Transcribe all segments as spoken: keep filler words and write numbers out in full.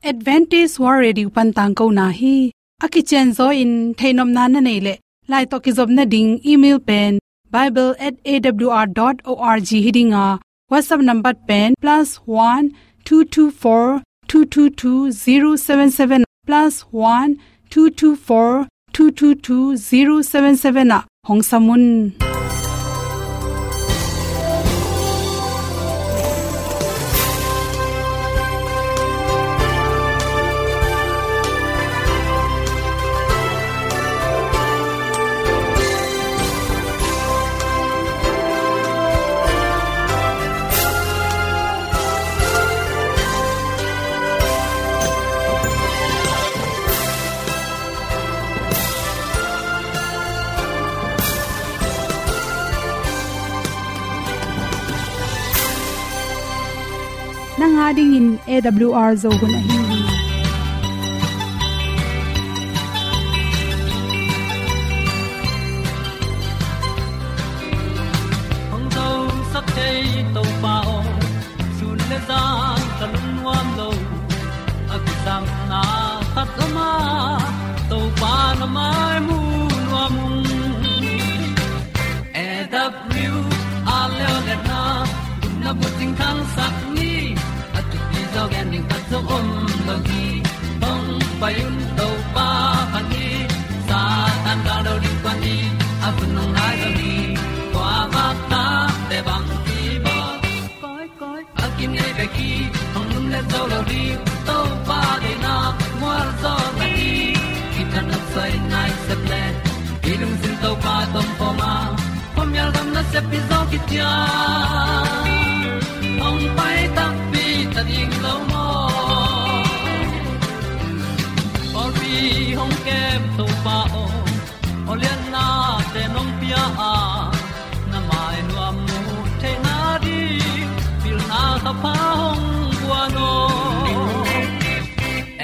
Adventist World Radio pan tangkona hi. A kicianzaw in theihnopna na neih leh, lai tawh kizopna ding email pen bible at A W R dot org hi ding a, WhatsApp number pen plus one two two four two two two zero seven seven, plus one two two four two two two zero seven seven ah hong sam un. Nang a dingin A W R Zo hun ahi hi. Hong zosak thei Topa aw, sun le zan ka lungnuam lo. A kisangna khat om a, Topa na mai mu nuam ung. A W R Zo hun na bucing khangsak ni, a thupi zaw gen ding khat zong om lo hi. Hong pai un Topa phat ni, Satan gal do ding pua ni, a hun hong nai zo ni. Kua vak ta te bang ki bawl. Koi, koi, a kinei bek hi, hong lum le zo lo ding, Topa deihna mual zaw na hi. Kithat nopsai nai sep le, i lungsim Topa tawh om a, khuamial gam nasep hi zaw kician. Hong pai takpi ta ding lo maw? Pawlpi hong kem Topa aw, aw lianna te nong pia a, na mai nuam mu theihna ding, pilna kha pha hong guan aw.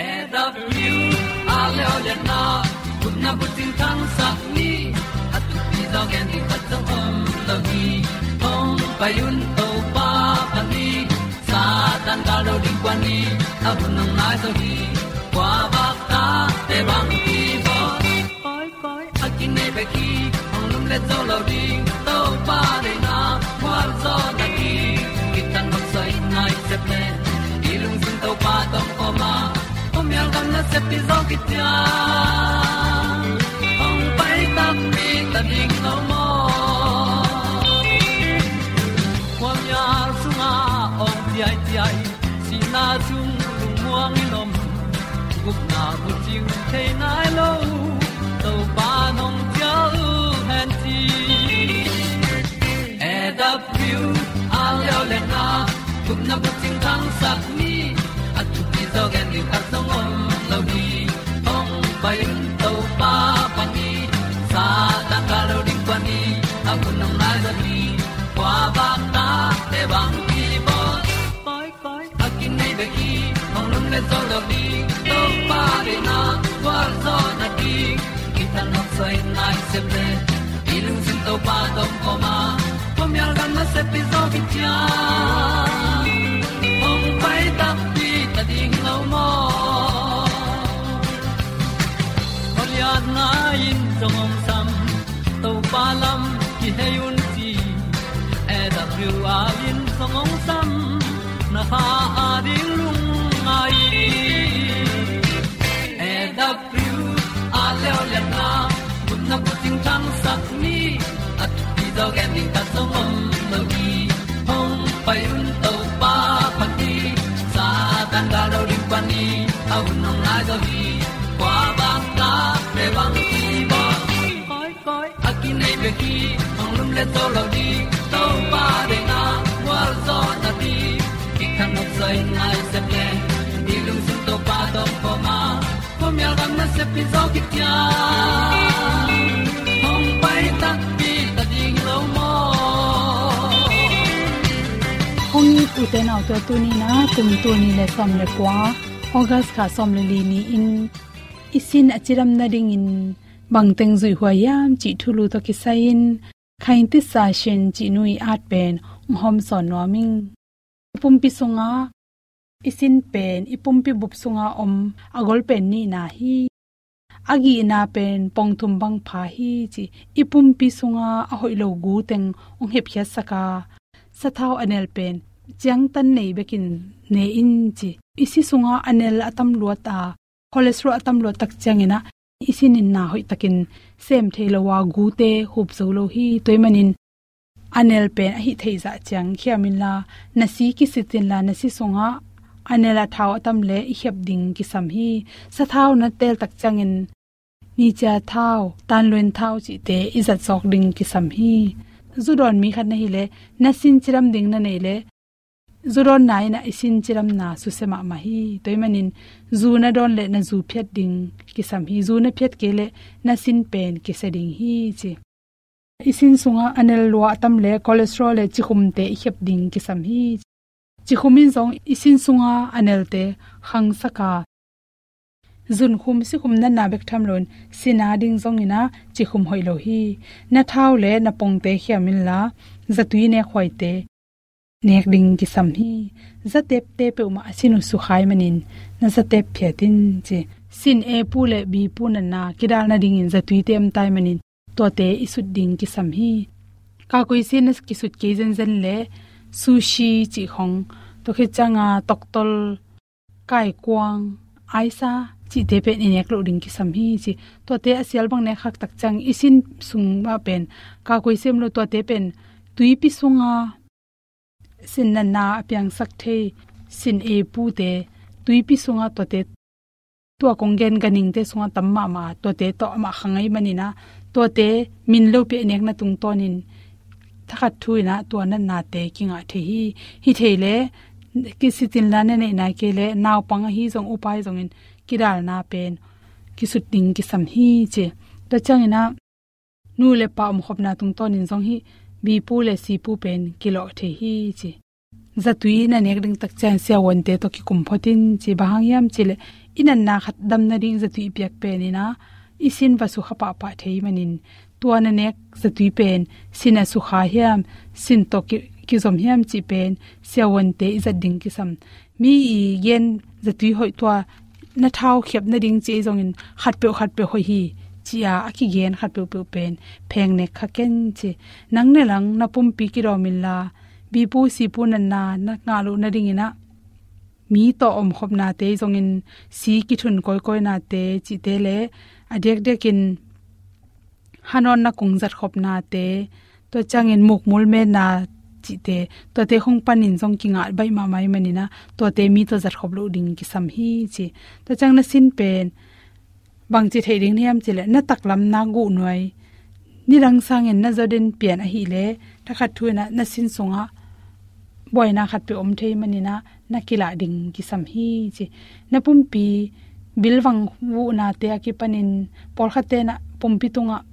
A W R Zo hun na bucing khangsak ni, a thupi zaw gen ding khat zong om lo hi. Hong pai un Topa phat ni, Satan gal do ding pua ni, a hun hong nai zo hi. Kua vak ta te bang ki bawl. Koi, koi, a kinei bek hi, hong lum le zo lo ding, Topa deihna mual zaw na hi. Kithat nopsai nai sep le, i lungsim Topa tawh om a, khuamial gam nasep hi zaw kician. Hong pai takpi ta ding lo maw? Khuamial sungah awng ciaiciai, sihna sung lungmuang in om, gupna bucing thei nai lo, Topa nong cial hen ci. A W R Zo hun na gupna bucing khangsak ni, a thupi zaw gen ding khat zong om lo hi. Hong pai un Topa phat ni, Satan gal do ding pua ni, a hun hong nai zo hi. Kua vak ta te bang ki bawl. Koi, koi, a kinei bek hi, hong lum le zo lo ding, Topa deihna mual zaw na hi. Kithat nopsai nai sep le, i lungsim Topa tawh om a, khuamial gam nasep hi zaw kician. Hong pai takpi ta ding lo maw? Aw lianna in zong hong sam, Topa lam kihei un ci. A W R in zong hong sam, na kha a ding lungngai. A W R Zo hun na bucing khangsak ni, a thupi zaw gen ding khat zong om lo hi. Hong pai un Topa phat ni, Satan gal do ding pua ni, a hun hong nai zo hi. Kua vak ta te bang ki bawl. Koi, koi, a kinei bek hi, hong lum le zo lo ding, Topa deihna mual zaw na hi. Kithat nopsai nai sep le, i lungsim Topa tawh om a, khuamial gam nasep hi zaw kician. Hong pai takpi ta ding lo maw? Hong it u te nau te, tuni-in a kum tul nih le sawm le kua, August kha sawm le li ni-in i sin a cidam nadingin bangteng zuih huai hiam cih thulu tawh kisai-in Khaing Tisa Shin cih nu ii at pen hong hawmsawn nuam ing. Pumpi sungah I sin pen i pumpi bup sunga om a gol pen nihna hi. A gihna pen pong thum bang pha hi ci. I pumpi sunga a hoih lo gu teng hong hepkhiatsak a, sathau a nel pen ciangtan nei bekin ne in ci. I si sunga a nel a tam luat a, cholesterol a tam luat tak ciangin ah i sin in na hoih takin sem thei lo a, gute hup zo lo hi. Tua ahih manin a nel pen a hih theih zah ciang khiam inla, na si kisit inla, na si sungah a nel a thau a tam le i khiap ding kisam hi. Sathau na tel tak ciangin nicia thau, tanluin thau cihte i zat zawk ding kisam hi. Zu dawn mi khat na hih leh, na sin cidam ding na neih leh, zu dawnna in ah i sin cidamna susia mahmah hi. Tua ahih manin zu na dawn leh na zu phiat ding kisam hi. Zu na phiat kei leh na sin pen kisia ding hi ci. I sin sungah a nel lua a tam le cholesterol le cikhumte i khiap ding kisam hi. Cikhum in zong i sin sunga a nelte khangsak a, zunkhum sikhum natna bek tham loin sin a ding zongin ah cikhum hoih lo hi. Na thau le na pongte khiam inla, zatui nekhuaite nek ding kisam hi. Zatepte peuhmah a sin uh sukha ahih manin na zatep phiat in ci. Sin A pu le B pu natna kidal nadingin zatuite om ta ahih manin tuate i sut ding kisam hi. Kakui sin na kisut kei zenzen le sushi cih khong, tua khit cianga toktol, kaikuang, aisa cihte pen i nek loh ding kisam hi ci. Tuate a sial bang nek khak tak ciang i sin sungah pen kakui sem lo, tuate pen tuipi sunga sin natna a piangsak thei sin A pute, tuipi sunga tuate, tua kong gen ganhingte sungah tam mahmah, tuate tawh amah kha ngei manin ah, tuate min lopi a nekna tungtawnin thakhat thu in ah tua natnate kingah thei hi. Hih thei leh kisit inla, na neih nai kei leh naupang ahi zong upa ahi zongin kidalna pen kisut ding kisam hi ci. Tua ciangin ah nu le pa omkhopna tungtawnin zong hih B pu le C pu pen kilawh thei hi ci. Zatui na nek ding tak ciang siavuante tawh kikum phot in ci. Bang hang hiam cih leh i natna khat dam nading zatui i piak pen in ah i sin va sukha pahpah thei manin, tua na nek zatui pen sin a sukha hiam, sin tawh ki, kizom hiam cih pen siavuante i zat ding kisam. Mi i gen zatui hoih, tua na thau khiap nading ci ei zongin khatpeuh khatpeuh hoih hi ci-a a kigen khatpeuhpeuh pen pheng nek kha ken ci. Nang ne lang na pumpi kidawm inla, B pu C pu natna na ngah loh nadingin ah mi tawh omkhopnate zongin si kithun kawikawinate cihte le a diakdiakin hanawn na kung zatkhopnate, tua ciangin mukmul metna cihte, tuate khong panin zong kingah baih mahmah ahih manin ah tuate mi tawh zatkhop loh ding kisam hi ci. Tua ciang na sin pen bangci theih ding hiam cih leh, na taklam na guh nuai nidang sangin na zaw den pian ahih leh, thakhat thu in ah na sin sungah buaina khatpeuh om thei manin ah na kilah ding kisam hi ci. Na pumpi bilvang vuhnate a kipanin pawlkhatte in ah pumpi tungah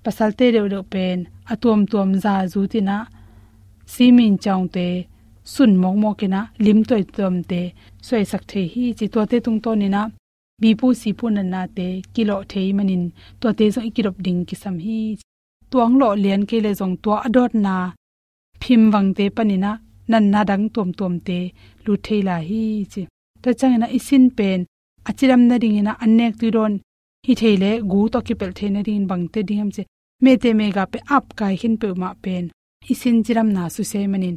pasalte deuhdeuh pen a tuamtuam za zut in ah simin ciangte sun mawkmawk in ah lim tuamtuamte suaisak thei hi ci. Tuate tungtawn in ah B pu C pu natnate kilawh thei manin tuate zong i kidop ding kisam hi. Tua hong lawh lian kei leh zong tua a dawtna phimvangte panin ah natna dang tuamtuamte lut thei lai hi ci. Tua ciangin ah i sin pen a cidam nadingin ah an nek tui dawn hi thei leh gu tawh kipelh thei nadingin bangte ding hiam cih leh, mete mega pen ap kai khin peuhmah pen i sin cidamna susia ahih manin,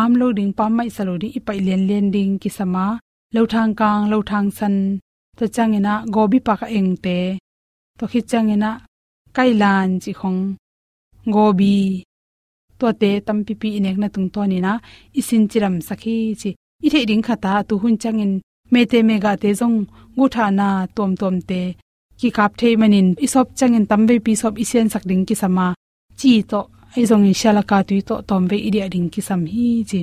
am lo ding, pam maihsa lo ding, i paih lianlian ding kisam a, lothang kang, lothang san, tua ciangin ah gobi pak a engte, tua khit ciangin ah kailan cih khong, gobi, tuate tampipi i nekna tungtawn in ah i sin cidamsak hi ci. I theih ding khat ah tu hun ciangin mete megate zong guhthahna tuamtuamte kikap thei manin, i sawp ciangin tamveipi sawp i siansak ding kisam a, ci tawh ahi zongin sialaka tui tawh tawmvei i diah ding kisam hi ci.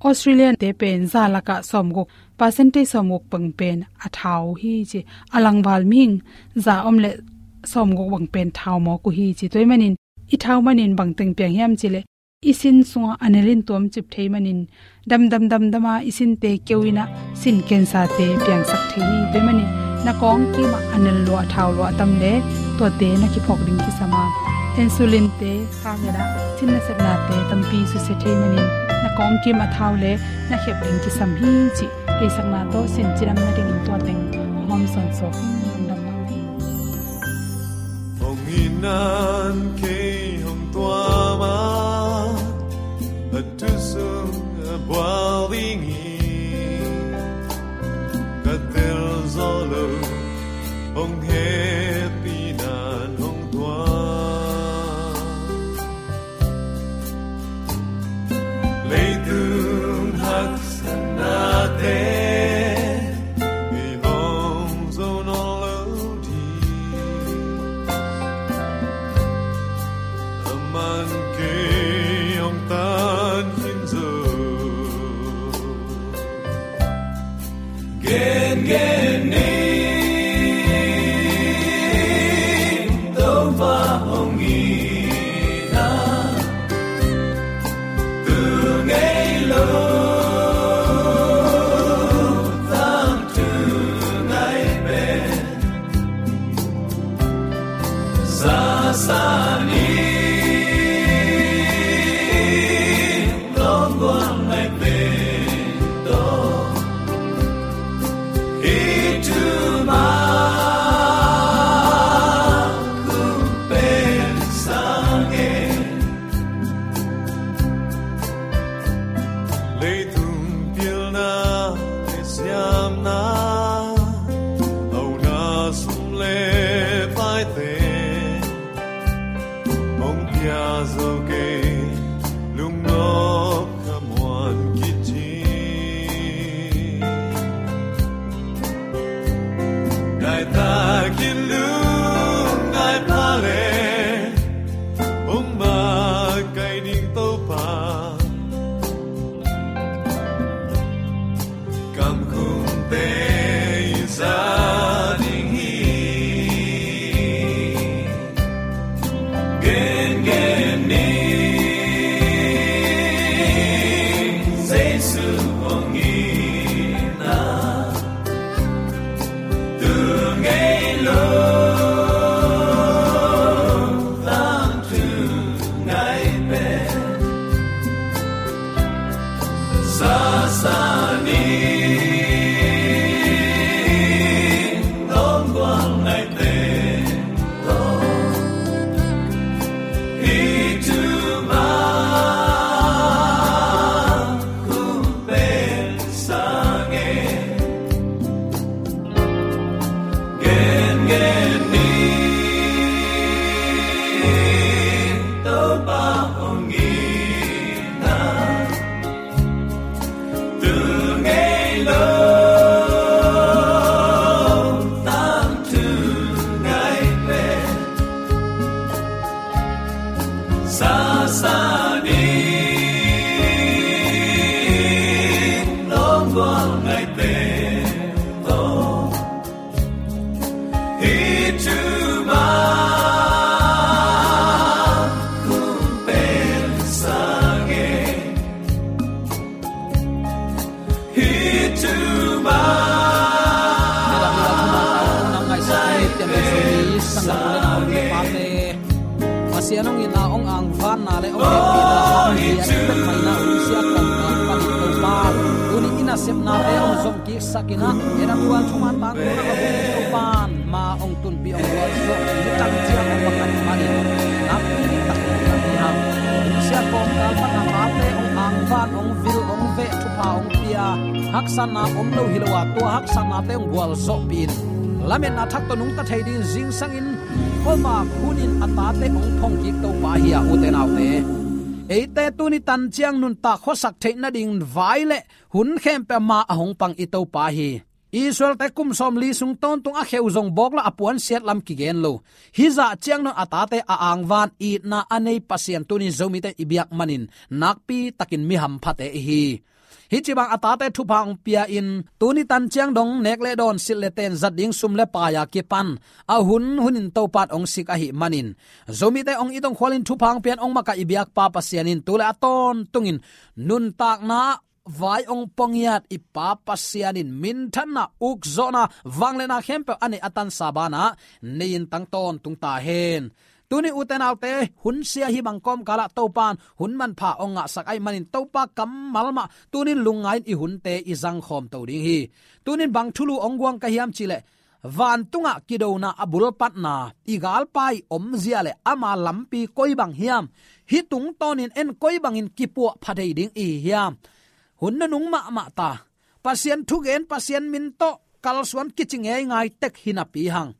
Australia-te pen za lakah sawmguk, percentage sawmguk bang pen a thau uh hi ci. A langval mihing za om leh sawmguk bang pen thau mawk uh hi ci. Tua ahih manin i thau manin bangteng piang hiam cih leh, i sin sungah a nel in tuamcip thei manin, damdam damdam a i sinte keu in ah sin cancer-te piangsak thei hi. Tua ahih manin na kawng kimah a nel lua, thau lua a tam leh tuate na kiphawk ding kisam a, insulin-te khak in ah thin nasepnate tampi susia thei manin, na Kawngkim a thau le na khep ding kisam hi cih theisakna tawh sin cidam nadingin tua teng hawm sawnsawn in lungdam lo hi. Hong itna kei hong tuam a, a thu sung a bual ding hi. Ka tel zo lo, hong hehpihna in hong tuam. Leitung haksatnate i hong zo nawn lo ding. Aman kei hong tan khin zo. Gengen ni, Topa hong itna, tu ngei lo, tangthu ngai pen. Sasa ni, lawm gual ngai pen tawh, hih thu mah hong pen sa ing. Leitung pilna le siamna, hauna sum le paite hong pia zo kei, lungnop ka muan khit hi. Ngai takin lungngai pha le, hong makaih ding Topa, kamkumte i za ding hi. Gengen ni, Jesu hong itna, tu ngei lo, tangthu ngai pen. Sasa ni, lawm gual ngai pen tawh, hih thu mah hong pen sa ing. Gengen ni, Topa hong itna, tu ngei lo, tangthu ngai pen. Sasa ni, lawm gual ngai pen tawh, hih thu mah hong pen sa ing. Hih thu mah. Midang, midang, midang, midang, ngaihsut ni, tiang le Zomi sanggamte, Pasian hong itna, hong angvanna le hong hehpihna, hong piak pek maina, hong sia kawmkal panin Topa, tuni in a sepnate hong zom kiksak in ah, en a tual thuman tangkona a hong Topa in ma hong tunpih, hong gualzawh, mi tan ciang hong makaih manin, nakpi takin ka hi hang. Hong sia kawmkal pan a tate hong angvan, hong vil, hong veh, thupha hong pia, haksatna om lo hi lo a, tua haksatnate hong gualzawhpih in, lametna thak tawh nungta thei dingin zingsangin, kuamah hunin a tate hong phong kik Topa hi a, ute naute. Eite tuni tan ciang nuntak khuasak theih nading vai le hun khempeuh ma a hong pang i Topa hi. Israelte kum sawmli sung tawntung a kheu zong bawk lo, a puansiat lam kigen lo. Hih zah ciangin a tate a angvan itna a nei Pasian tuni Zomite i biak manin nakpi takin mi hamphate i hi. Hih ci bang a tate thupha hong pia in tuni tan ciang dong nek le dawn, silh le ten, zat ding sum le pai a kipan a hun hunin Topa in hong sik ahih manin, Zomite hong it hong khualin thupha hong pian hong makaih i biakpa Pasian in tu le a tawntungin nuntakna vai hong pua ngiat i Pa Pasian in minthanna, ukzawhna, vangliatna khempeuh a neih a tansa banah nei-in tang tawntung ta hen. Tunin ute naute, hun sia hi bang kawmkalah Topan hun manpha hong ngahsak ahih manin Topa kammal mah tunin lungngai-in i hunte i zangkhawm to ding hi. Tunin bang thulu hong guang ka hiam cih leh, vantungah kidona a bulpatna, i galpa i omzia le ama lampi koi bang hiam, hih tungtawnin en koi bangin kipuah pha thei ding i hi hiam. Hun nunung mahmah ta, Pasian thugen, Pasian min tawh kalsuan kici ngeingai tek hi napi hang,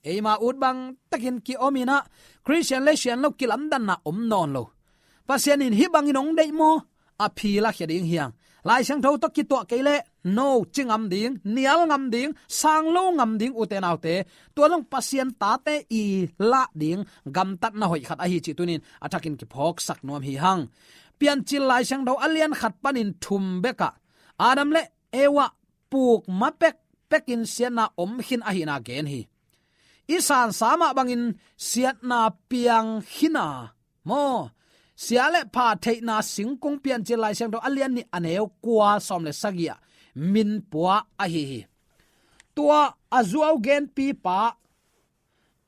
eima ut bang tekin ki-om inah, Khristian le sian lo kilamdanna om nawn lo. Pasian in hih bangin hong deih maw, a phi lakhia ding hi hang. Lai Siangtho tawh kituah kei leh, no, ci ngam ding, nial ngam ding, sang lo ngam ding ute naute. Tua zong Pasian tate i lah ding gamtatna hoih khat ahi cih tunin a thakin kiphawksak nuam hi hang. Piancil Lai Siangtho a lian khat panin thum bekah Adam le Eva puk ma pekpekin siatna om khin ahihna gen hi. I sansa mah bangin siatna piang khin a maw, sia le pha theihna singkung Piancil Lai Siangtho a lian nih a neu kua sawm le sagih ah min pua ahi hi. Tua a zuau genpipa,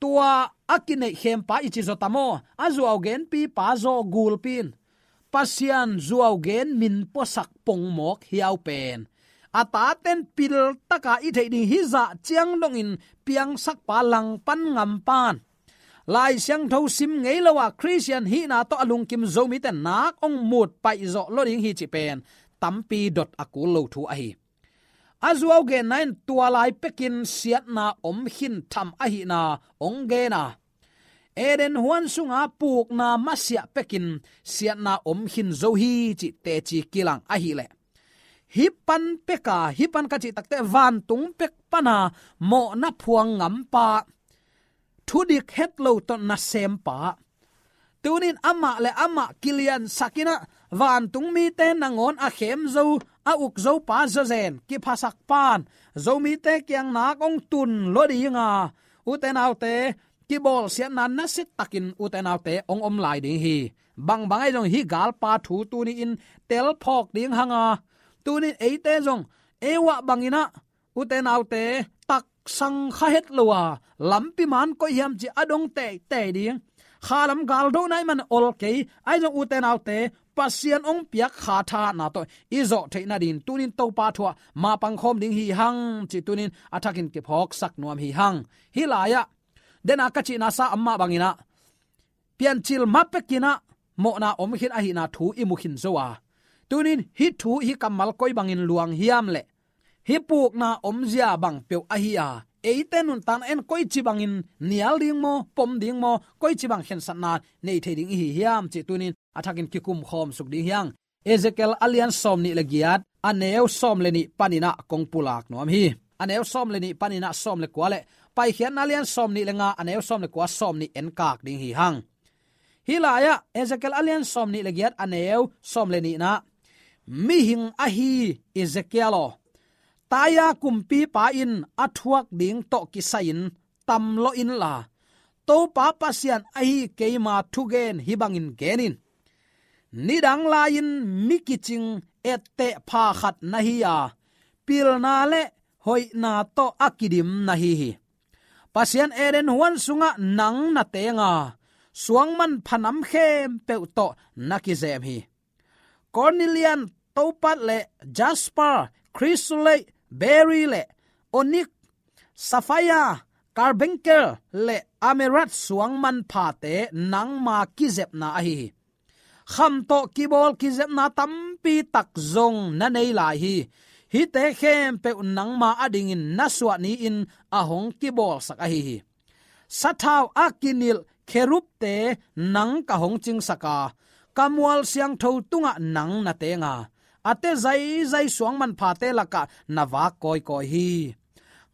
tua a kineih khempa i ci zaw ta maw, a zuau genpipa zaw gulpi in Pasian zuau gen min puasak pongmawk hiau pen a taten piltaka i theih ding hizah ciang dongin piangsakpa, langpan ngampan, Lai Siangtho sim ngei lo a Khristian hihna tawh a lungkim Zomite nak hong mut paihzawh lo ding hi cih pen tampi dot a kul lo thu ahi. A zuau genna in tua lai pekin siatna om khin tham ahihna hong gen a, Eden huan sunga pukna masiah pekin siatna om khin zo hi cih teci kilang ahileh, hih pan peka, hih pan ka cih takte vantung pek pana mawhna phuang ngampa, thudik het lo tawh nasempa, tunin amah le amah kiliansak inah vantung mite nangawn a khem zo, a uk zopa zawzen kiphasak pan, Zomite kiang nak hong tun lo dinga, ute naute, kibawlsiatna nasia takin ute naute hong om lai ding hi. Bangbang ahi zong hih galpa thu tuni-in telphawk ding hanga, tunin eite zong Eva bang inah ute naute, taksang kha het lo a, lampi man koi hiam ci a dong teitei ding, khalam galdohna i man ol kei, ahi zong ute naute, Pasian hong piak kha thahatna tawh i zawh theih nadingin tunin Topa thu ah mapang khawm ding hi hang cih tunin a thakin kiphawksak nuam hi hang. Hih lai-ah dena ka cihna sa amah bang inah, Piancil ma pek inah mawhna om khin ahihna thu i mu khin zo a, tunin hih thu, hih kammal koi bangin luang hiam leh, hih pukna omzia bang peuh ahi a, eite nuntakna en koici bangin nial ding maw, pom ding maw, koici bang khensatna nei thei ding i hi hiam cih tunin a thakin kikum khawm suk ding hi hang. Ezekiel a lian sawm nih le giat, a neu sawm le nih panin ah kong pulak nuam hi. A neu sawm le nih panin ah sawm le kua le Paikhiatna a lian sawm nih le nga, a neu sawm le kua, sawm nih enkak ding hi hang. Hih lai-ah Ezekiel a lian sawm nih le giat, a neu sawm le nihna, mihing ahi Ezekiel aw, Taia kumpipa in a thuak ding tawh kisai-in tam lawh inla, Topa Pasian ahi keima thugen hih bangin gen in. Nidang lai-in mi kicing etteh pha khat na hi a, pilna le hoihna tawh a kidim na hi hi. Pasian Eden huan sungah nang na teng a, suangman phanam khempeuh tawh na kizem hi. Cornelian, topat le jasper, chrysolite, berry le onyx, sapphire, carbuncle le emerald suangman phate nangma kizepna ahi hi. Kham tawh kibawl kizepna tampi tak zong na nei lai hi. Hihte khempeuh nangma adingin na suah ni-in a hong kibawlsak ahi hi. Sathau a kinilh kherubte nang ka hong cingsak a, ka mual siangtho tungah nang na teng a, a te zaizai suangman phate lakah na vak kawikawi hi.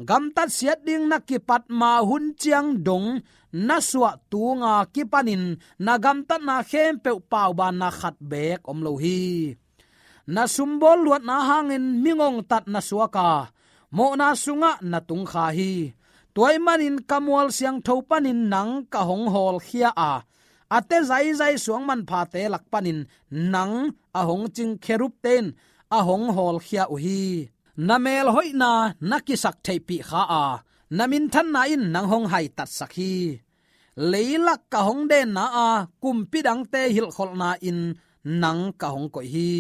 Gamtat siat ding na kipat ma hun ciang dong na suah tunga kipanin na gamtatna khempeuh paubanna khat beek om lo hi. Na sumbawl luatna hangin mi ngongtat na suak a, mawhna sungah na tungkha hi. Tua ahih manin ka mual siangtho panin nang ka hong hawlkhia a, a te zaizai suangman phate lak panin nang a hong cing kherubte in a hong hawlkhia uh hi. Na mel hoihna na kisak theihpih kha a, na minthanna in nang hong haitatsak hi. Leilak ka hong denna a, kumpi dangte hilhkholhna in nang ka hong koih hi.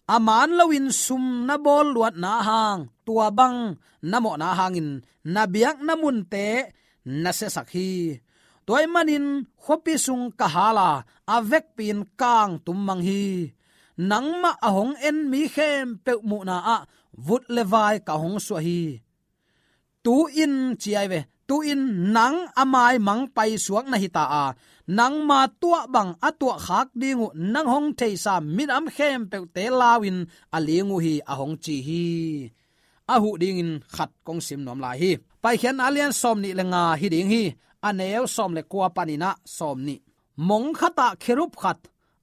A man loin sum na bawl luatna hang, tua bang na mawhna hangin na biakna munte na siasak hi. Tua ahih manin khuapi sung ka hal a, a vekpi-in kang tum mang hi. Nangmah a hong en mi khempeuh muhna ah vut le vai ka hong suah hi. Tu-in ci ahi ve, tu-in nang a maimang paisuak na hita a, nangma tuah bang a tuahkhak ding uh nang hong theisa minam khempeuhte lau-in a ling uh hi, a hong ci hi. A huh dingin khat kong sim nuam lai hi. Paikhiatna a lian sawm nih le nga hi ding hi. A neu sawm le kua panin ah sawm nih. Mong khatah kherub khat,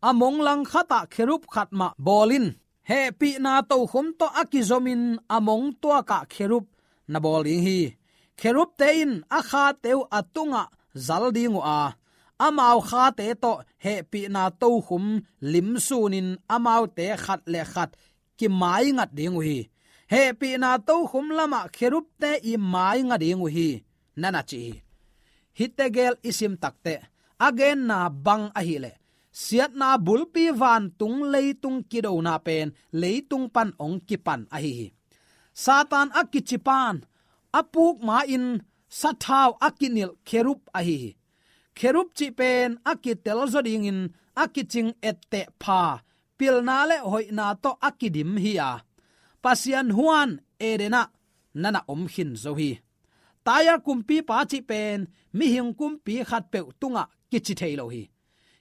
a mong lang khatah kherub khat mah bawl in. Hehpihna tokhum tawh a kizomin a mong tuakah kherub na bawl ding hi. Kherubte in a khate uh a tungah zal ding uh a, amau khate tawh hehpihna tokhum limsunin amaute khat le khat kimaingat ding uh hi. Hehpihna tokhum lamah kherubte i maingat ding uh hi, na na ci hi. Hihte gel i sim takteh, a genna bang ahih leh, siatna bulpi vantung leitung kidona pen leitung pan hong kipan ahi hi. Satan a kici pan a puk ma-in sathau a kinilh kherub ahi hi. Kherub cih pen a kitel zaw dingin a kicing etteh pha, pilna le hoihna tawh a kidim hi a, Pasian huan Eden ah na na om khin zo hi. Tyre kumpipa cih pen mihing kumpi khatpeuh tungah kici thei lo hi.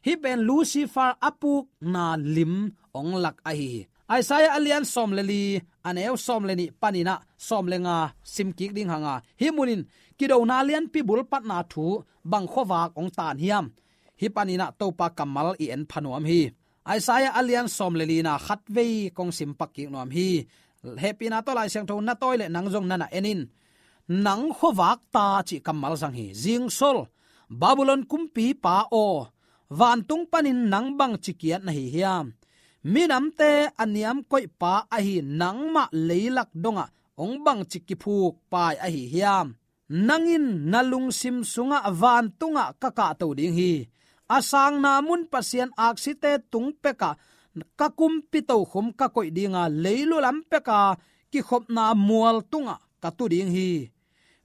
Hih pen Lucifer a pukna lim hong lak ahi hi. Isaiah a lian sawm le li, a neu sawm le nih panin ah sawm le nga sim kik ding hang a, hih munin kidona lianpi bulpatna thu bang khuavak hong tan hiam? Hih panin ah Topa kammal i en pha nuam hi. Isaiah a lian sawm le lina khatvei kong sim pak kik nuam hi. Hehpihna tawh Lai Siangtho na tawi leh nang zong na na en in. Nang khuavak ta cih kammal zang hi. Zingsol, Babylon kumpipa aw, vantung panin nang bangci kiat na hi hiam? Minamte a niamkoihpa ahi nangmah leilak dongah hong bangci kiphuk pai ahi hiam? Nang in na lungsim sungah vantungah ka kahto ding hi. A sangna mun Pasian aksite tung pekah ka kumpi tokhum ka koih dinga, leilu lam peka kikhopna mual tungah ka tu ding hi.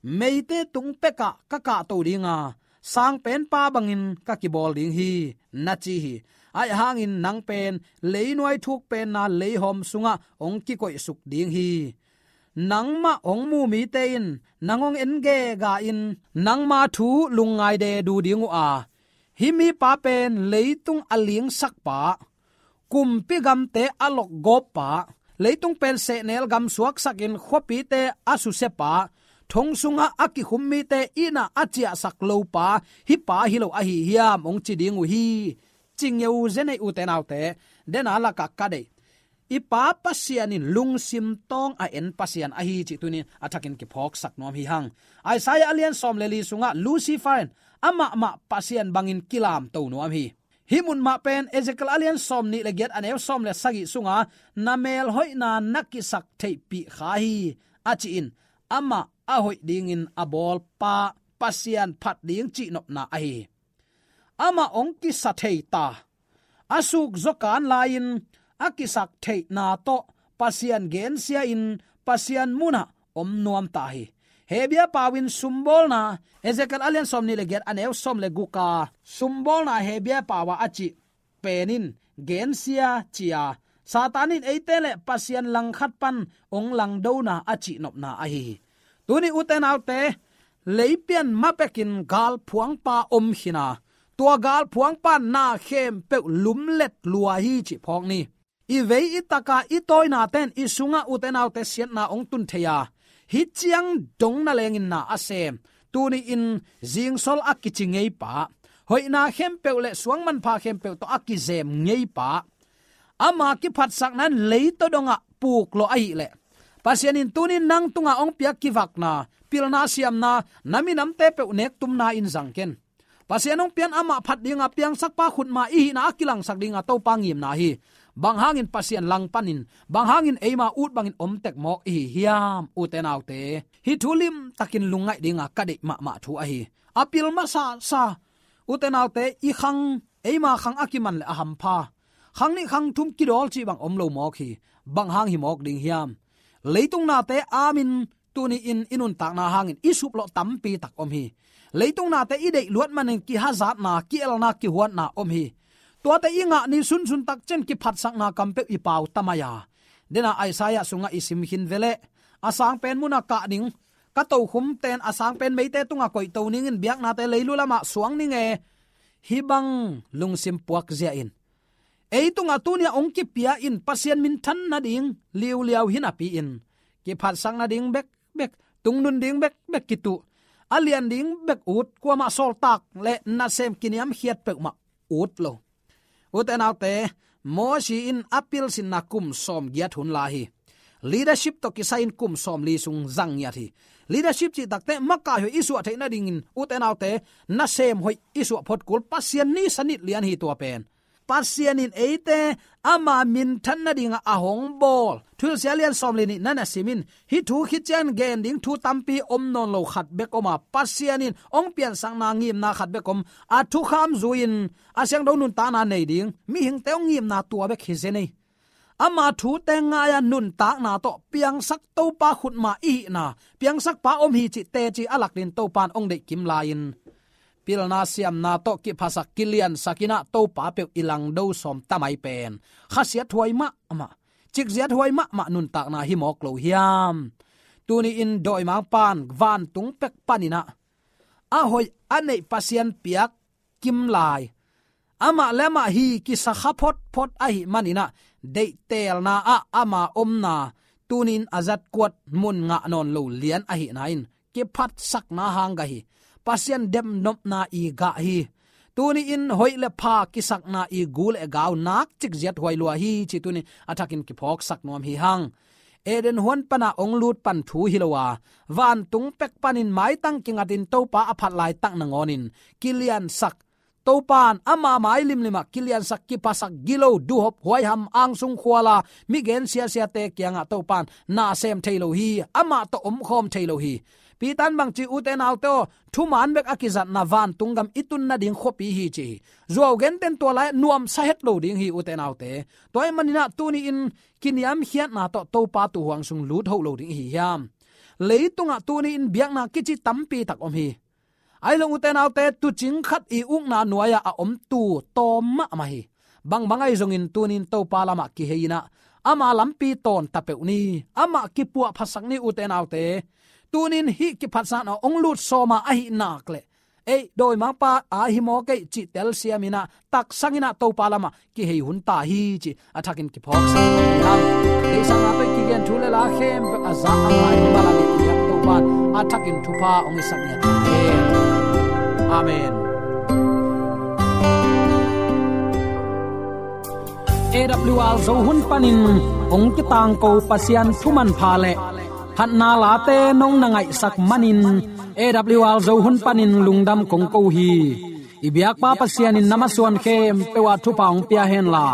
Meite tung pekah ka kahto dinga, sangpenpa bangin ka kibawl ding hi, na ci hi. Ahi hangin nang pen leinuai thukpenna leihawm sungah hong kikoihsuk ding hi. Nangmah hong mu mite in nang hong en gega in, nangma thu lungngai de du ding uh a, hih mipa pen leitung a lingsakpa, kumpi gamte a lokgawppa, leitung pen sehnel gam suaksakin khuapite a susiapa, thong sungah a kikhum mite itna a ciahsak lopa, hih pa hi lo ahi hiam hong ci ding uh hi. Ci ngeu zenei ute naute, dena lakah ka deih, i Pa Pasian in lungsim tawng a en Pasian ahi cih tunin a thakin kiphawksak nuam hi hang. Isaiah a lian sawm le li sungah Lucifer in amahmah Pasian bangin kilamto nuam hi. Hih mun mah pen Ezekiel a lian sawm nih le giat, a neu sawm le sagih sunga, na melhoihna na kisak theihpih kha hi, a ci-in, amah a hoih dingin a bawlpa Pasian phat ding cihnopna ahi hi. Amah hong kisa thei ta, a suk zaw kan lai-in a kisak theihna tawh Pasian gensia-in Pasian munah om nuam ta hi. Hebrew pau-in sumbawlna, Ezekiel a lian sawm nih le giat, a neu sawm le guk a, sumbawlna Hebrew pau-a a cih pen in gensia ci a, Satan in eite le Pasian langkhat pan hong langdona a cihnopna ahi hi. Tuni ute naute, leipian mapekin galphuangpa om khin a, tua galphuangpa na khempeuh lumlet lua hi cih phawk ni. I vei i taka i tawinaten i sungah ute naute siatna hong tun thei a, hih ciang dong na lengin na a sem, tuni-in zingsol a kici ngeipa, hoihna khempeuh le suangmanpha khempeuh tawh a kizem ngeipa, ama kiphatsakna in leitaw dongah puk lawh ahih leh, Pasian in tunin nang tungah hong piak kivakna, pilna siamna, na minamte peuh nektumna in zang ken. Pasian hong pian amah phat dinga piangsakpa khutma i hihna a kilangsak dinga Topa ngimna hi. Bang hangin Pasian langpanin, bang hangin eima ut bangin om tek mawk i hi hiam, ute naute? Hih thu limtakin lungngaih dinga ka deih mahmah thu ahi. A pil masa sa, ute naute, i khang, eima khang a kiman le a hampha. Khang nih khang thum kidawl cih bang om lo mawk hi. Bang hang hi mawk ding hiam? Leitung nate amin tuni-in i nuntakna hangin i suplawh tampi tak om hi. Leitung nate i deih luat manin kihazatna, kielna, kihuatna om hi. Tuate i ngah ni sunsun tak ciang kiphatsakna kampeuh i pau ta mai a. Dena Isaiah sungah i sim khin veleh, a sang pen muna kah ding, ka tokhum ten a sang pen meite tungah koihto ningin biaknate leilu lamah suang ning e. Hih bang lungsim puakzia in, ei tungah tuni-a hong kipia in Pasian minthan nading liuliau hi napi-in, kiphatsak nading bekbek, tungnun ding bekbek kituh, a lian ding bek ut, kuamah sawltak le nasem kiniamkhiat peuhmah ut lo. Ute naute, Mosi in a pilsinna kum sawmgiat hun la hi. Leadership tawh kisai-in kum sawmli sung zang ngiat hi. Leadership cih takte makai hoih i suah theih nadingin, ute naute, nasem hoih i suah phot kul, Pasian ni sanit lian hi tua pen. Pasian in eite ama minthan nadingah a hong bawl. Thuhilhsia lian sawmli nihna na sim in, hih thu khit ciang gen ding thu tampi om nawn lo khat bek om a, Pasian in hong piansakna ngimna khat bek om. A thukham zui-in a siangtho nuntakna nei ding mihingte hong ngimna tua bek hi zen ei. Ama thute ngai-a nuntakna tawh piangsak Topa khutma i hihna, piangsakpa om hi cih teci a lak dingin Topa in hong deih kim lai-in, pilna siamna tawh kiphasak kiliansak in ah Topa peuh i langdo sawm tamai pen khasiat huai mahmah, cikziat huai mahmah nuntakna hi mawk lo hiam? Tuni-in dawimangpa in vantung pek panin ah a hoih a neih Pasian piak kim lai, amah le amah hi kisakha photphot ahih manin ah, deihtelna ah ama omna tuni-in a zatkuat mun ngah nawn lo lian ahihna in kiphatsakna hang gah hi. Pasian demnopna i gah hi. Tuni-in hoih le pha kisakna i gu le gau nak cikziat huai lua hi cih tuni-in a thakin kiphawksak nuam hi hang. Eden huan pana hong lut pan thu hi lo a, vantung pek panin maitang kingatin Topa a phat laitak nangawnin kiliansak, Topa in ama mai limlimah kiliansak, kiphasak, gilo, duhop, huaiham, angsung khuala, mi gen siasiate kiangah Topa in na sem thei lo hi, amah tawh omkhawm thei lo hi. Peter in bangci, ute naute aw, thuman bek a kizatna vantung gam i tun nading khuapi hi ci hi. Zuau genten tua lai nuamsa het lo ding hi, ute naute. Tua ahih manin ah tuni-in kiniamkhiatna tawh Topa tuuhuang sung lut hoh lo ding i hi hiam? Leitungah tuni-in biakna kici tampi tak om hi. Ahi zong ute naute, tuucing khat i ukna nuai-ah a om tuu tawm mahmah hi. Bangbang ahi zongin tuni-in Topa lamah kihei in ah ama lampi tawnta peuh ni, amah kipuahphatsak ni, ute naute. Tuni-in hih kiphatsakna hong lut sawm a, ahih nak leh ei dawimangpa a hi mawk ei cih telsiam in ah, taksang in ah Topa lamah kihei hun ta hi cih a thakin kiphawksak hi hang. Deihsakna tawh i kigen thu le la khempeuh a za a ngai malam i piak Topa in a thakin thupha hong hisak ngiat hen. Amen. A W R Zo hun panin hong kitangko Pasian thu manpha le phatna late nong na ngaihsak manin, A W R Zo hun panin lungdam kong ko hi. I biakpa Pasian in na masuan khempeuh ah thupha hong pia henla,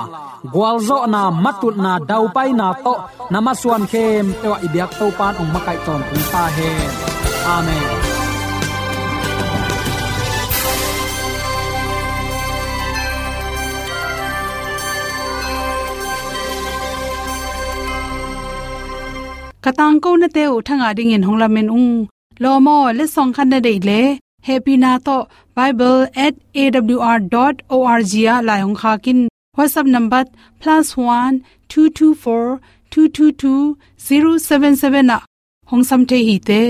gualzawhna, matutna, daupaina tawh na masuan khempeuh ah i biak Topa in hong makaih tawntung ta hen. Amen. Ka tangkonate uh thangah dingin hong lamen ung. Lawm aw, letsong khat na deih leh, hehpihna tawh bible at A W R dot O R G ah lai hong khak in. WhatsApp number plus one two two four two two two zero seven seven ah hong sam thei hi te.